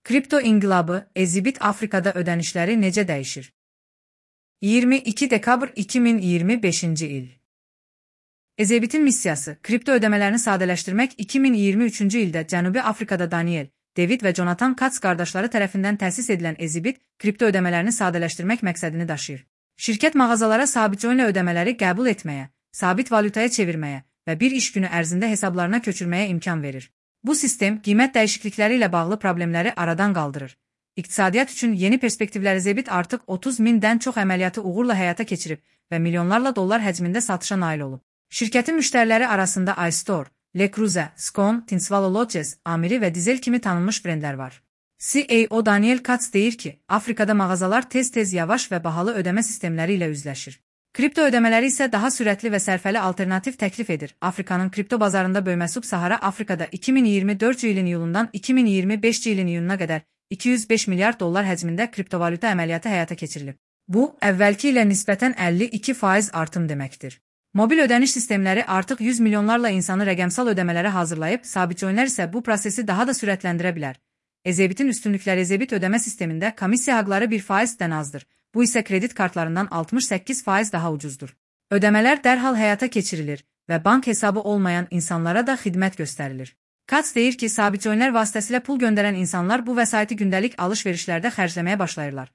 Kripto inqilabı, Ezibit Afrikada ödənişləri necə dəyişir? 22 dekabr 2025-ci il. Ezibitin missiyası, kripto ödəmələrini sadələşdirmək 2023-cü ildə Cənubi Afrikada Daniel, David və Jonathan Katz qardaşları tərəfindən təsis edilən Ezibit, kripto ödəmələrini sadələşdirmək məqsədini daşıyır. Şirkət mağazalara sabitcoinlə ödəmələri qəbul etməyə, sabit valyutaya çevirməyə və bir iş günü ərzində hesablarına köçürməyə imkan verir. Bu sistem, qiymət dəyişiklikləri ilə bağlı problemləri aradan qaldırır. İqtisadiyyat üçün yeni perspektivlər. Ezibit artıq 30.000-dən çox əməliyyatı uğurla həyata keçirib və milyonlarla dollar həcmində satışa nail olub. Şirkətin müştəriləri arasında iStore, Le Cruze, Scone, Tinsvalo Lodges, Amiri və Dizel kimi tanınmış brendlər var. CEO Daniel Katz deyir ki, Afrikada mağazalar tez-tez yavaş və bahalı ödəmə sistemləri ilə üzləşir. Kripto ödəmələri isə daha sürətli və sərfəli alternativ təklif edir. Afrikanın kripto bazarında böyüməsi Sub-Sahara Afrikada 2024-cü ilin iyulundan 2025-ci ilin iyununa qədər 205 milyard dollar həcmində kriptovalyuta əməliyyatı həyata keçirilib. Bu, əvvəlki ilə nisbətən 52% artım deməkdir. Mobil ödəniş sistemləri artıq 100 milyonlarla insanı rəqəmsal ödəmələrə hazırlayıb, sabitcoinlər isə bu prosesi daha da sürətləndirə bilər. Ezibitin üstünlükləri. Ezibit ödəmə sistemində komissiya haqları 1%-dən azdır. Bu isə kredit kartlarından 68% daha ucuzdur. Ödəmələr dərhal həyata keçirilir və bank hesabı olmayan insanlara da xidmət göstərilir. Katz deyir ki, sabitcoinlər vasitəsilə pul göndərən insanlar bu vəsaiti gündəlik alış-verişlərdə xərcləməyə başlayırlar.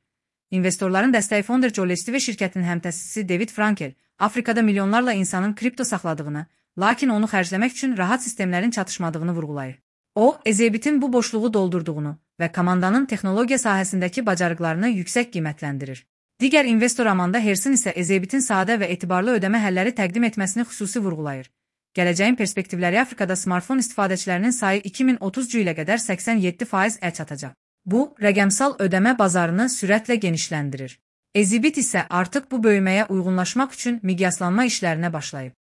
İnvestorların dəstəyi Founder Joe Lestivi şirkətinin həmtəsisi David Frankel, Afrikada milyonlarla insanın kripto saxladığını, lakin onu xərcləmək üçün rahat sistemlərin çatışmadığını vurğulayır. O, Ezibitin bu boşluğu doldurduğunu və komandanın texnologiya sahəsindəki bacarıqlarını yüksək qiymətləndirir. Digər investor Amanda Hersin isə Ezibitin sadə və etibarlı ödəmə həlləri təqdim etməsini xüsusi vurğulayır. Gələcəyin perspektivləri. Afrikada smartfon istifadəçilərinin sayı 2030-cu ilə qədər 87%-ə çatacaq. Bu, rəqəmsal ödəmə bazarını sürətlə genişləndirir. Ezibit isə artıq bu böyüməyə uyğunlaşmaq üçün miqyaslanma işlərinə başlayıb.